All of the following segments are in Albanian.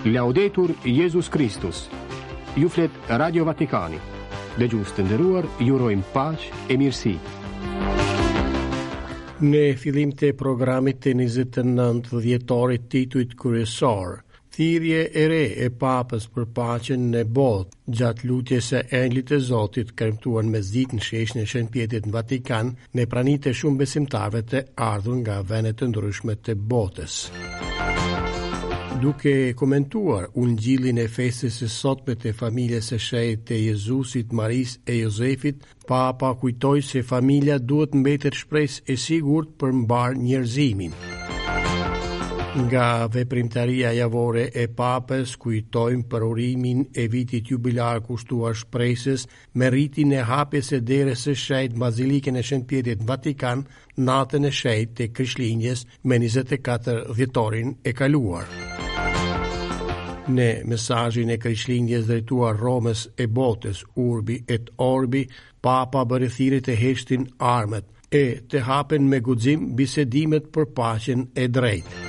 Laudetur Jezus Kristus. Ju flet Radio Vatikani. Dëgjues të nderuar, ju urojmë paqe e mirësi. Në fillim të programit të 29 dhjetorit titujt kryesorë, Thirrje e re e Papës për paqen në botë, gjatë lutjes së Engjëllit të Zotit, kremtuar në mesditë në sheshin e Shën Pjetrit në Vatikan, në prani të shumë besimtarëve të ardhur nga vende të ndryshme të botës. Duke komentuar ungjillin e festës së sotme të familjes së shenjtë të Jezusit, Marisë e Jozefit, Papa kujtoi se familja duhet mbetet shpresë e sigurt për mbarë njerëzimin. Nga veprimtaria javore e Papës kujtojmë përurimin e vitit jubilar kushtuar shpresës me ritin e hapjes së derës së shenjtë në Bazilikën e Shën Pjetrit në Vatikan natën e shenjtë të Krishtlindjes me 24 dhjetorin e kaluar. Në mesazhin e Krishtlindjes drejtuar Romës e botës, Urbi et Orbi, Papa bëri thirrje të heshtin armët e të hapen me guxim bisedimet për paqen e drejtë.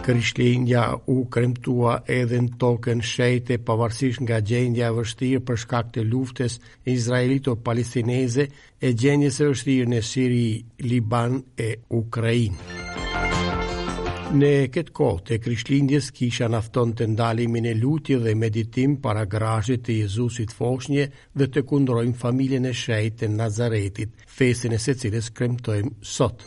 Krishtlindja u kremtua edhe në tokën shenjte pavarësisht nga gjendja e vështirë për shkak të luftës izraelito-palestineze e gjendjes së vështirë në Siri, Liban e Ukrainë. Në këtë kohë të Krishtlindjes kisha na fton të ndalemi në lutje dhe meditim para grazhdit të Jezusit foshnje dhe të kundrojmë familjen e shenjtë të Nazaretit, festën e së cilës kremtojmë sot.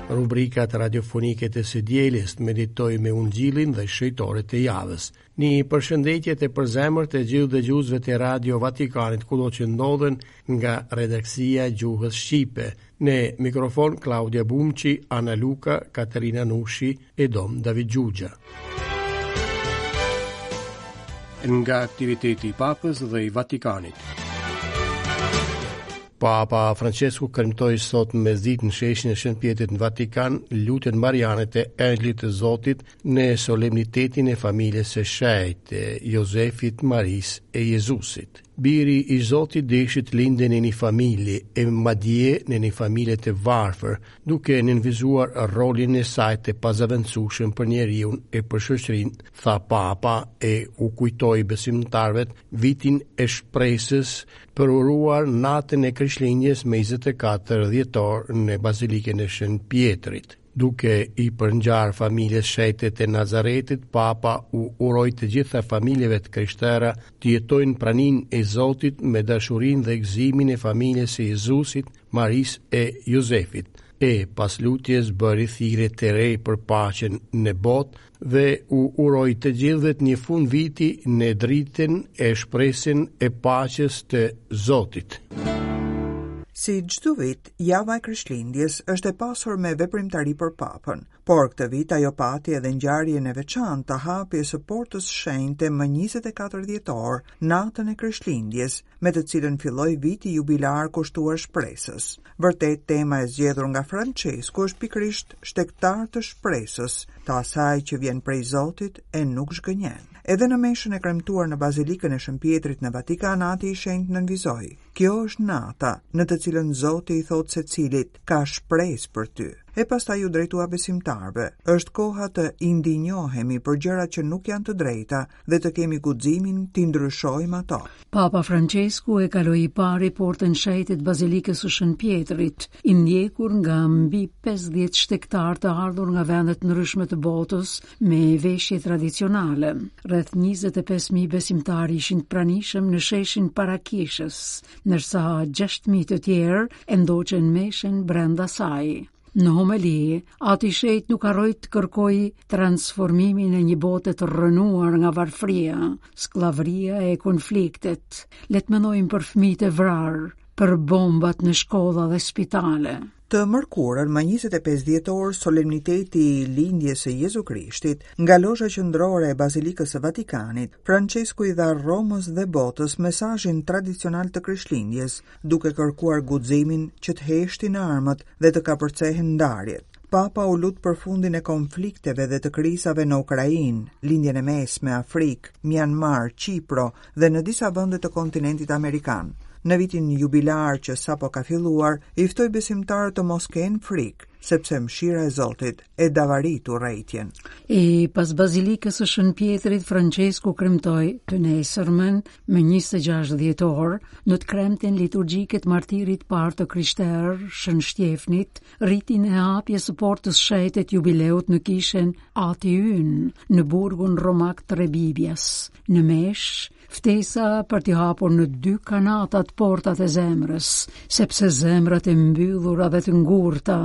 Rubrikat radiofonike të së dielës meditojmë me Ungjillin dhe shenjtorët e javës. Një përshëndetje të përzemërt të gjithë dëgjuesve të Radio Vatikanit kudo që ndodhen nga redaksia e gjuhës shqipe. Në mikrofon Klaudia Bumçi, Ana Luka, Katerina Nushi e Dom David Xhuxha. Nga aktiviteti i Papës dhe i Vatikanit. Papa Francesku kremtoi sot në mesditë në sheshin e Shën Pjetrit në Vatikan lutjen mariane të Engjëllit të Zotit në solemnitetin e familjes së shenjtë, Jozefit, Marisë e Jezusit. Biri i Zotit deshi të lindte në një familje, e madje në një familje të varfër, duke nënvizuar rolin e saj të pazëvendësueshëm për njeriun e për shoqërinë, tha Papa e u kujtoi besimtarëve vitin e shpresës përuruar natën e Krishtlindjes me 24 dhjetor në Bazilikën e Shën Pjetrit. Duke i përngjarë familjes shenjte të Nazaretit, Papa u uroi të gjitha familjeve të krishtera të jetojnë praninë e Zotit me dashurinë dhe gëzimin e familjes së Jezusit, Marisë e Jozefit. E pas lutjes bëri thirrje të re për paqen në botë dhe u uroi të gjithëve një fundviti në dritën e shpresën e paqes të Zotit. Si çdo vit, java e Krishtlindjes është e pasur me veprimtari për Papën, por këtë vit ajo pati edhe ngjarjen e veçantë të hapjes së Portës Shenjte më 24 dhjetor, natën e Krishtlindjes, me të cilën filloi viti jubilar kushtuar shpresës. Vërtet tema e zgjedhur nga Françesku është pikërisht shtegtarë të shpresës, të asaj që vjen prej Zotit e nuk zhgënjen. Edhe në meshën e kremtuar në Bazilikën e Shën Pjetrit në Vatikan, Ati i Shenjtë nënvizoi: Kjo është nata në të cilën Zoti i thotë secilit, ka shpresë për ty. E pastaj iu drejtua besimtarëve, është koha të indinjohemi për gjërat që nuk janë të drejta dhe të kemi guximin t'i ndryshojmë ato. Papa Françesku e kaloi i pari portën e shenjtë të Bazilikës së Shën Pjetrit, i ndjekur nga mbi 50 shtegtarë të ardhur nga vende të ndryshme të botës me veshje tradicionale. Rreth 25.000 besimtarë ishin të pranishëm në sheshin para kishës, ndërsa 6.000 të tjerë e ndoqën meshën brenda saj. Në homeli, Ati i Shenjtë nuk harroi të kërkojë transformimin e një bote të rrënuar nga varfëria, skllavëria e konfliktet. Le të mendojmë për fëmijët e vrarë, për bombat në shkolla dhe spitale. Të mërkurën, më 25 dhjetor, solemniteti i lindjes së Jezu Krishtit, nga lozha qendrore e Bazilikës së Vatikanit, Françesku i dha Romës dhe botës mesazhin tradicional të Krishtlindjes, duke kërkuar guximin që të heshtin armët dhe të kapërcehen ndarjet. Papa u lut për fundin e konflikteve dhe të krizave në Ukrainë, Lindjen e Mesme, Afrikë, Mianmar, Qipro dhe në disa vende të kontinentit amerikan. Në vitin jubilar që sapo ka filluar, i ftoi besimtarët të mos kenë frikë. sepse mëshira e Zotit e davarit urrejtjen. E pas Bazilikës së Shën Pjetrit, Françesku kremtoi të nesërmen më 26 dhjetor në të kremten liturgjike të martirit të parë të krishterë, Shën Shtjefnit, ritin e hapjes së portës shenjte të jubileut në kishën Ati Ynë, në burgun romak të Rebibias, në meshë, ftesa për t'i hapur në dy kanatat portat e zemrës, sepse zemrat e mbyllura dhe të ngurta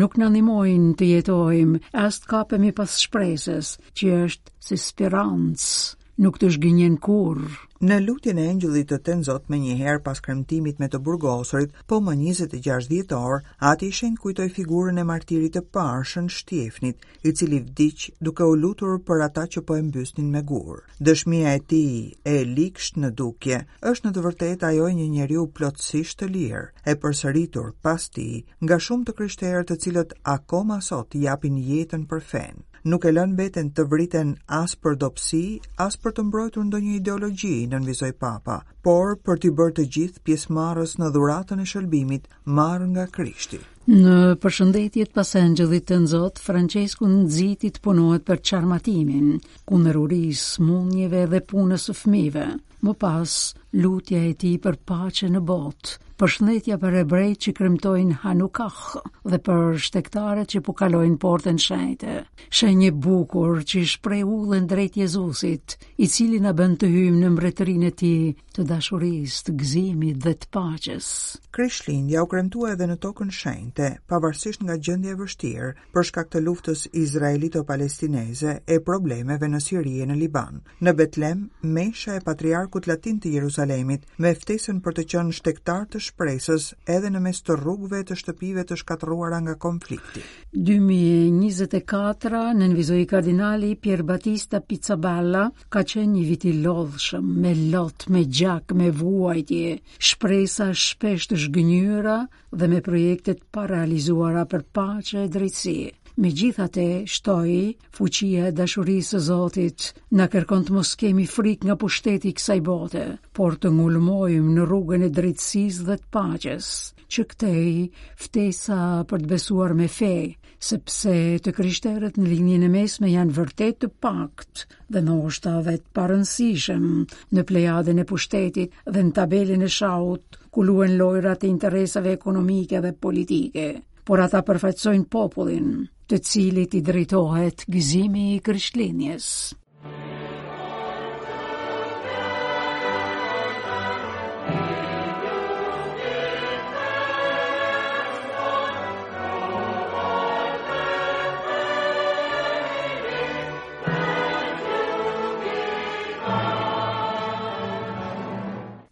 nuk na ndihmojnë të jetojmë, as të kapemi pas shpresës, që është si spirancë, nuk të zhgënjen kurrë. Në lutjen e Engjëllit të Tënzot menjëherë pas kremtimit me të burgosurit, po më 26 dhjetor, Ati i Shenjtë kujtoi figurën e martirit të parë, Shën Shtjefnit, i cili vdiq duke u lutur për ata që po e mbysnin me gurë. Dëshmia e tij, e ligshtë në dukje, është në të vërtetë ajo e një njeriu plotësisht të lirë, e përsëritur pas tij nga shumë të krishterë të cilët akoma sot japin jetën për fenë. Nuk e lënë veten të vriten as për dobësi, as për të mbrojtur ndonjë ideologji, nënvizoi Papa, por për t'i bërë të gjithë pjesëmarrës në dhuratën e shëlbimit marrë nga Krishti. Në përshëndetjet pas Engjëllit Tënzot, Françesku nxiti të punohet për çarmatimin, kundër urisë, sëmundjeve dhe punës së fëmijëve. Më pas, lutja e tij për paqe në botë, përshëndetja për hebrejtë që kremtojnë Hanukah dhe për shtegtarët që po kalojnë portën shenjte. Shenjë e bukur që shpreh udhën drejt Jezusit, i cili na bën të hyjmë në mbretërinë e tij të dashurisë, të gëzimit dhe të paqes. Krishtlindja u kremtua edhe në tokën shenjte, pavarësisht nga gjendja e vështirë, për shkak të luftës izraelito-palestineze e problemeve në Siri e në Liban. Në Betlem, mesha e Patriarkut Latin të Jeruzalemit, me ftesën për të qenë shtegtarë të shpresës edhe në mes të rrugëve e të shtëpive të shkatërruara nga konflikti. 2024, nënvizoi kardinali Pierbattista Pizzaballa, ka qenë një vit i lodhshëm, me lot, me gjak, me vuajtje, shpresa shpesh të zhgënjyera dhe me projekte të parealizuara për paqe e drejtësi. Megjithatë, shtoi, fuqia e dashurisë së Zotit na kërkon të mos kemi frikë nga pushteti i kësaj bote, por të ngulmojmë në rrugën e drejtësisë dhe të paqes. Që këtej, ftesa për të besuar me fe, sepse të krishterët në Lindjen e Mesme janë vërtet të paktë dhe ndoshta dhe të parëndësishëm në plejadën e pushtetit dhe në tabelën e shahut ku luhen lojërat e interesave ekonomike dhe politike, por ata përfaqësojnë popullin, të cilit i drejtohet gëzimi i Krishtlindjes.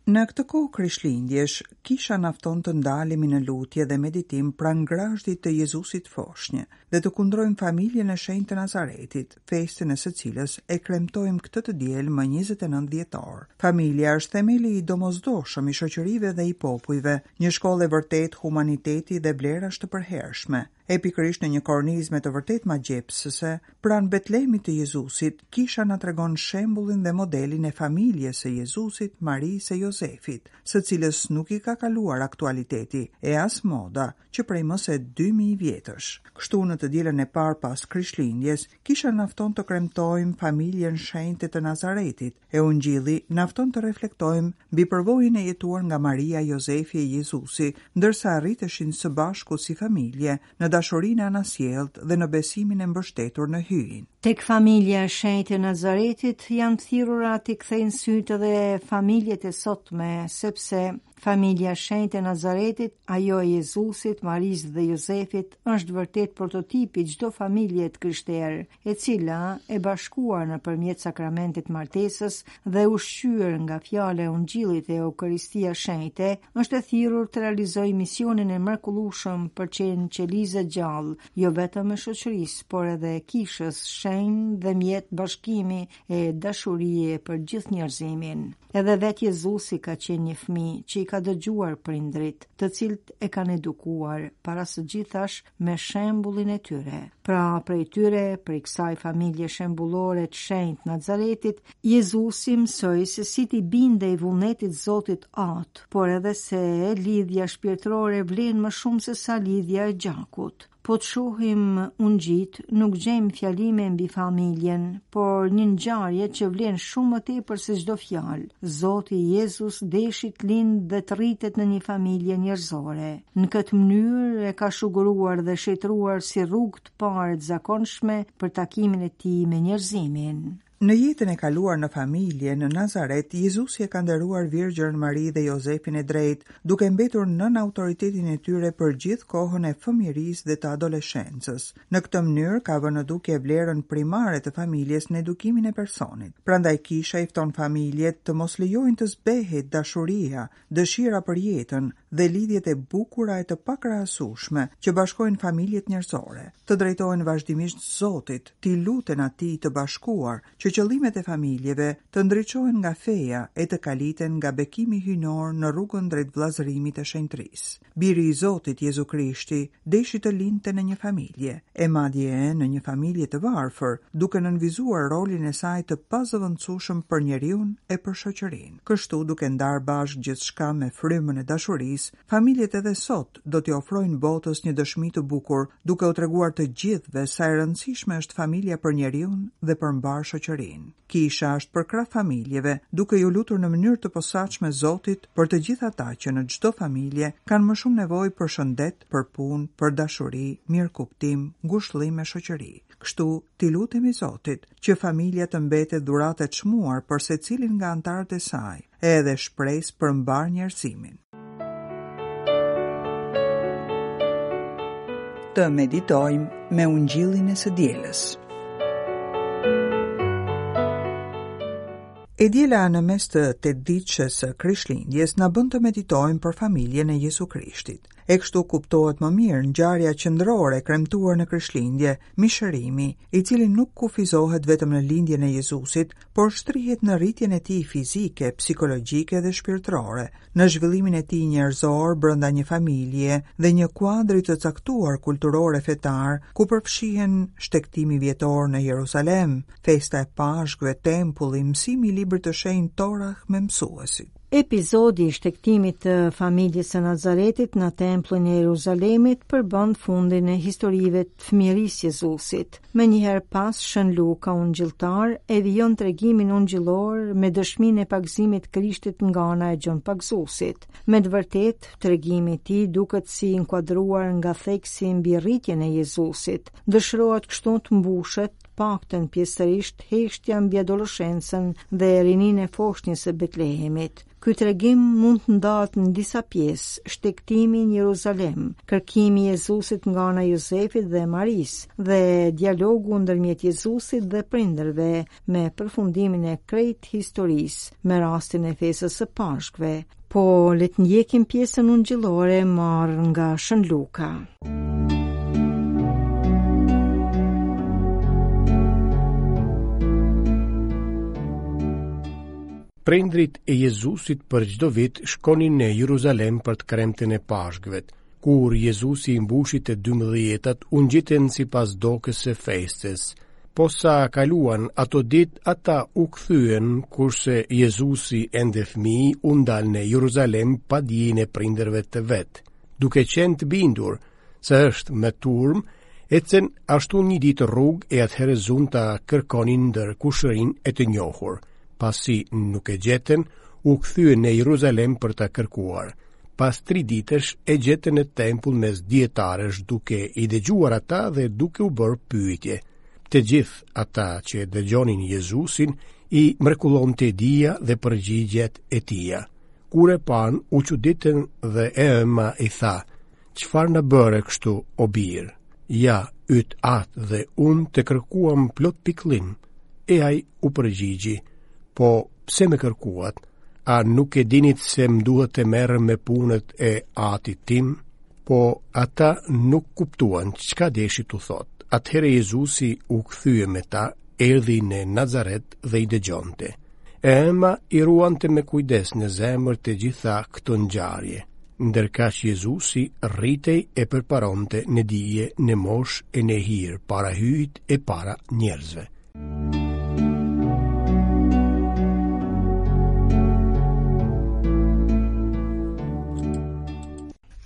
Në këtë kohë Krishtlindjesh, Kisha na fton të ndalemi në lutje dhe meditim pranë grazhdit të Jezusit foshnjë dhe të kundrojmë familjen e shenjtë të Nazaretit, festën e së cilës e kremtojmë këtë të diel më 29 dhjetor. Familja është themeli i domosdoshëm i shoqërive dhe i popujve, një shkollë e vërtetë humaniteti dhe vlerash të përhershme. E pikërisht në një kornizë me të vërtetë magjepsëse, pranë Betlehemit të Jezusit, Kisha na tregon shembullin dhe modelin e familjes së Jezusit, Marisë e Jozefit, së cilës nuk i ka kaluar aktualiteti e as moda që prej më se 2000 vjetësh. Kështu në të dielën e parë pas Krishtlindjes, Kisha na fton të kremtojmë familjen shenjte të Nazaretit, E Ungjilli na fton të reflektojmë mbi përvojën e jetuar nga Maria, Jozefi e Jezusi, ndërsa rriteshin së bashku si familje, në dashurinë e anasjelltë dhe në besimin e mbështetur në Hyjin. Tek familja e shenjtë e Nazaretit janë thirrura t'i kthejnë sytë edhe familjet e sotme, sepse Familja e shenjtë e Nazaretit, ajo e Jezusit, Marisë dhe Jozefit, është vërtet prototipi i çdo familje të krishterë, e cila, e bashkuar nëpërmjet sakramentit të martesës dhe ushqyer nga fjala e Ungjillit e Eukaristia Shenjte, është e thirrur të realizojë misionin e mrekullueshëm për qenë qelizë e gjallë, jo vetëm e shoqërisë, por edhe e kishës, shenjë dhe mjet bashkimi e dashurie për gjithë njerëzimin. Edhe vetë Jezusi ka qenë një fëmijë që i ka dëgjuar prindërit, të cilët e kanë edukuar para së gjithash me shembullin e tyre. Pra prej tyre, prej kësaj familje shembullore të shenjtë Nazaretit, Jezusi mësoi se si t'i bindej vullnetit Zotit Atë, por edhe se lidhja shpirtërore vlen më shumë se sa lidhja e gjakut. Po të shohim ungjijtë, nuk gjejmë fjalime mbi familjen, por një ngjarje që vlen shumë më tepër se çdo fjalë. Zoti Jezus deshi të lindë dhe të rritet në një familje njerëzore. Në këtë mënyrë e ka shuguruar dhe shenjtëruar si rrugë të parë të zakonshme për takimin e tij me njerëzimin. Në jetën e kaluar në familje, në Nazaret, Jezusi e ka nderuar Virgjërën Mari dhe Jozefin e drejtë, duke mbetur nën autoritetin e tyre për gjithë kohën e fëmijërisë dhe të adoleshencës. Në këtë mënyrë ka vënë në dukje vlerën primare të familjes në edukimin e personit. Prandaj Kisha i fton familjet të mos lejojnë të zbehet dashuria, dëshira për jetën dhe lidhjet e bukura e të pakrahasueshme që bashkojnë familjet njerëzore, të drejtohen vazhdimisht Zotit, t'i luten Atij të bashkuar, që qëllimet e familjeve të ndriçohen nga feja e të kaliten nga bekimi hyjnor në rrugën drejt vëllazërimit e shenjtërisë. Biri i Zotit, Jezu Krishti, deshi të lindte në një familje, e madje në një familje të varfër, duke nënvizuar rolin e saj të pazëvendësueshëm për njeriun e për shoqërinë. Kështu, duke ndarë bashkë gjithçka me frymën e dashurisë, familjet edhe sot do t'i ofrojnë botës një dëshmi të bukur, duke u treguar të gjithëve sa e rëndësishme është familja për njeriun dhe për mbarë shoqërinë. Kisha është përkrah familjeve, duke iu lutur në mënyrë të posaçme Zotit për të gjithë ata që në çdo familje kanë më shumë nevojë për shëndet, për punë, për dashuri, mirëkuptim, ngushëllim e shoqëri. Kështu, t'i lutemi Zotit, që familja të mbetet dhuratë e çmuar për secilin nga anëtarët e saj, e edhe shpresë për mbarë njerëzimin. Të meditojmë me ungjillin e së dielës. E diela në mes të tetëditëshes së Krishtlindjes na bën të meditojmë për familjen e Jezu Krishtit. E kështu kuptohet më mirë ngjarja qendrore e kremtuar në Krishtlindje, mishërimi, i cili nuk kufizohet vetëm në lindjen e Jezusit, por shtrihet në rritjen e tij fizike, psikologjike dhe shpirtërore, në zhvillimin e tij njerëzor brenda një familje dhe një kuadri të caktuar kulturor e fetar, ku përfshihen shtegtimi vjetor në Jeruzalem, festa e Pashkëve, tempulli, mësimi i librit të shenjtë Torah me mësuesit. Episodi i shtegtimit të familjes së Nazaretit në tempullin e Jeruzalemit përbën fundin e historive të fëmijërisë Jezusit. Menjëherë pas Shën Luka ungjilltar e vijon tregimin ungjillor me dëshminë e pagëzimit të Krishtit nga ana e Gjon Pagëzuesit. Me të vërtetë, tregimi i tij duket si i inkuadruar nga theksi mbi rritjen e Jezusit. Dëshirohet kështu të mbushet paktën pjesërisht heshtja mbi adoleshencën dhe rininë e foshnjës së Betlehemit. Ky tregim mund të ndahet në disa pjesë, shtegtimi në Jeruzalem, kërkimi i Jezusit nga ana e Jozefit dhe Marisë dhe dialogu ndërmjet Jezusit dhe prindërve me përfundimin e krejt historisë me rastin e festës së Pashkëve. Po le të ndjekim pjesën ungjillore marrë nga Shën Luka. Prindërit e Jezusit për çdo vit shkonin në Jeruzalem për të kremten e Pashkëve. Kur Jezusi i mbushi të dymdhjetat, u ngjitën sipas dokës së festës. Posa kaluan ato ditë, ata u kthyen, kurse Jezusi ende fëmijë u ndal në Jeruzalem pa dijeninë e prindërve të vet. Duke qenë të bindur se është me turmë, ecën ashtu një ditë rrugë e atëherë zunë ta kërkonin ndër kushërinj e të njohur. Pasi nuk e gjetën, u kthyen në Jeruzalem për ta kërkuar. Pas tri ditësh e gjetën në tempull mes dijetarësh duke i dëgjuar ata dhe duke u bërë pyetje. Të gjithë ata që e dëgjonin Jezusin i mrekullonte dija dhe përgjigjet e tija. Kur e panë, u çuditën dhe e ëma i tha, Çfarë na bëre kështu, o bir? Ja, yt atë dhe unë të kërkuam plot pikëllim. E ai u përgjigji, po pse më kërkuat? A nuk e dinit se më duhet të merrem me punët e atit tim? Po ata nuk kuptuan çka deshi t'u thotë. Atëherë Jezusi u kthye me ta, erdhi në Nazaret dhe i dëgjonte. E ëma i ruante me kujdes në zemër të gjitha këto ngjarje. Ndërkaq Jezusi rritej e përparonte në dije, në moshë e në hir para Hyjit e para njerëzve.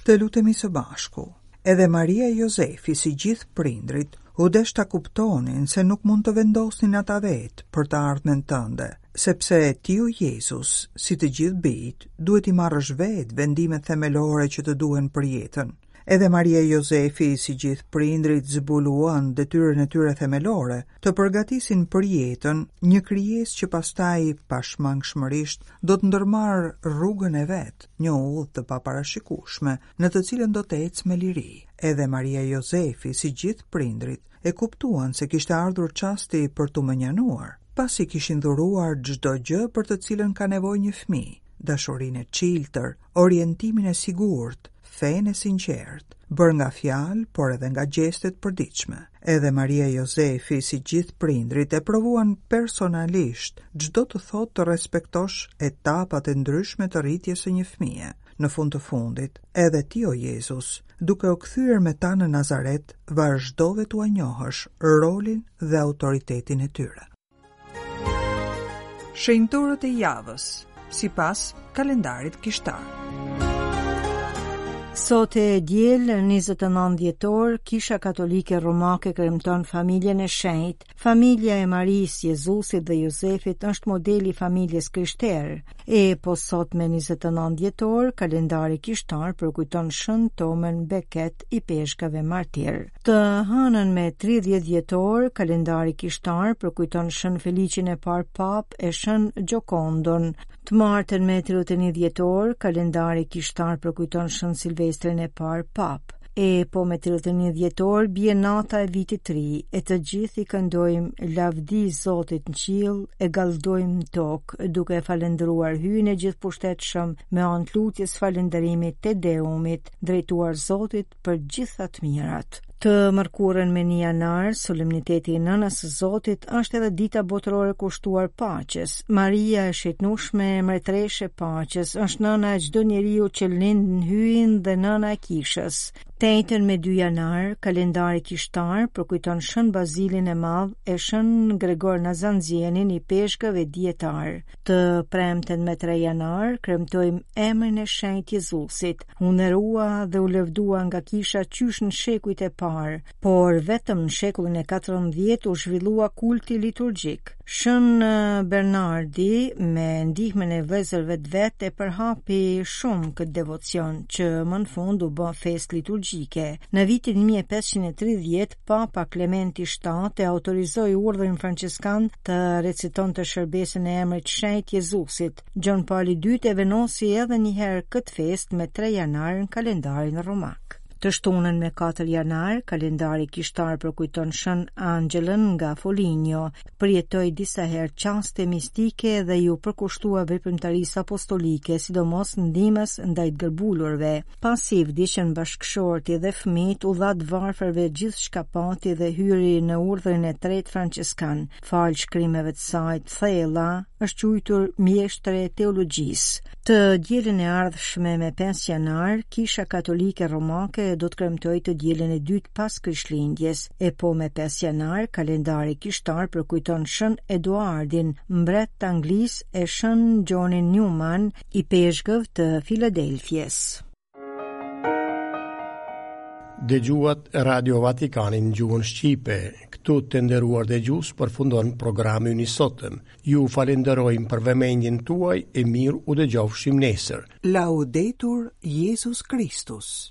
Të lutemi së bashku. Edhe Maria e Jozefi, si gjithë prindërit, u desh ta kuptonin se nuk mund të vendosnin ata vetë për të ardhmen tënde, sepse ti o Jezus, si të gjithë bijtë, duhet t'i marrësh vetë vendimet themelore që të duhen për jetën. Edhe Maria e Jozefi, si gjithë prindërit, zbuluan detyrën e tyre themelore, të përgatisin për jetën një krijesë që pastaj pashmangshmërisht do të ndërmarrë rrugën e vet, një udhë të paparashikueshme, në të cilën do të ecë me liri. Edhe Maria e Jozefi, si gjithë prindërit, e kuptuan se kishte ardhur çasti për t'u mënjanuar, pasi kishin dhuruar çdo gjë për të cilën ka nevojë një fëmijë, dashurinë e çiltër, orientimin e sigurt, fenë e sinqertë, bërë nga fjalë, por edhe nga gjeste të përditshme. Edhe Maria e Jozefi, si gjithë prindërit, e provuan personalisht ç'do të thotë të respektosh etapat e ndryshme të rritjes së një fëmije. Në fund të fundit, edhe ti o Jezus, duke u kthyer me ta në Nazaret, vazhdove t'ua njohësh rolin dhe autoritetin e tyre. Shenjtorët e javës, sipas kalendarit kishtar. Sot e diel, 29 dhjetor, Kisha Katolike Romake kremton familjen e shenjtë Familja e Marisë, Jezusit dhe Jozefit është modeli i familjes krishterë. E po sot me 29 dhjetor, kalendari kishtar përkujton Shën Tomën Beket ipeshkëv e martir. Të hënën me 30 dhjetor, kalendari kishtar përkujton Shën Feliqin e parë papë e Shën Gjokondon. Të martën me 31 dhjetor, kalendari kishtar përkujton Shën Silvestrin e parë papë. E po me 31 dhjetor bie nata e vitit të ri, e të gjithë i këndojmë lavdi Zotit në qiell e galdojmë në tokë, duke e falënderuar Hyjin e gjithëpushtetshëm me anë të lutjes falënderimit Te Deumit, drejtuar Zotit për gjitha të mirat. Të mërkurën me 1 janar, solemniteti i Nënës së Zotit është edhe dita botërore kushtuar paqes. Maria e Shenjtnushme, mbretëreshë e paqes, është nëna e çdo njeriu që lind në Hyjin dhe nëna e kishës. Të enjten me 2 janar, kalendari kishtar përkujton Shën Bazilin e Madh e Shën Gregor Nazianzenin ipeshkëv e dijetar. Të premten me 3 janar, kremtojmë emrin e shenjtë Jezusit. U nderua dhe u lëvdua nga kisha qysh në shekujt e parë, por vetëm në shekullin e 14 u zhvillua kulti liturgjik. Shën Bernardi me ndihmën e vëllezërve të vet e përhapi shumë këtë devocion që më në fund u bë festë liturgjike. Në vitin 1530 Papa Klementi VII e autorizoi urdhrin françeskan të recitonte shërbesën e emrit të shenjtë Jezusit. Gjon Pali II e vendosi edhe një herë këtë festë me 3 janar në kalendarin romak. Të shtunën me 4 janar, kalendari kishtar përkujton Shën Anxhelën nga Foligno, përjetoi disa herë çaste mistike dhe iu përkushtua veprimtarisë apostolike, sidomos ndihmës ndaj të gërbulurve. Pasi i vdiqën bashkëshorti dhe fëmijët, u dha të varfërve gjithçka pati dhe hyri në urdhrin e tretë françeskan. Falë shkrimeve të saj të thella, është quajtur mjeshtre e teologjisë. Të dielën e ardhshme me 5 janar, Kisha Katolike Romake do të kremtojë të dielën e dytë pas Krishtlindjes, e po me 5 janar, kalendari kishtar përkujton Shën Eduardin, mbret të Anglisë e Shën Gjonin Newman, ipeshkëv të Filadelfies. Dëgjuat Radio Vatikanin në gjuhën shqipe. Këtu të nderuar dëgjues përfundon programi ynë i sotëm. Ju falenderojmë për vëmendjen tuaj e mirë u dëgjofshim nesër. Laudetur Jezus Kristus.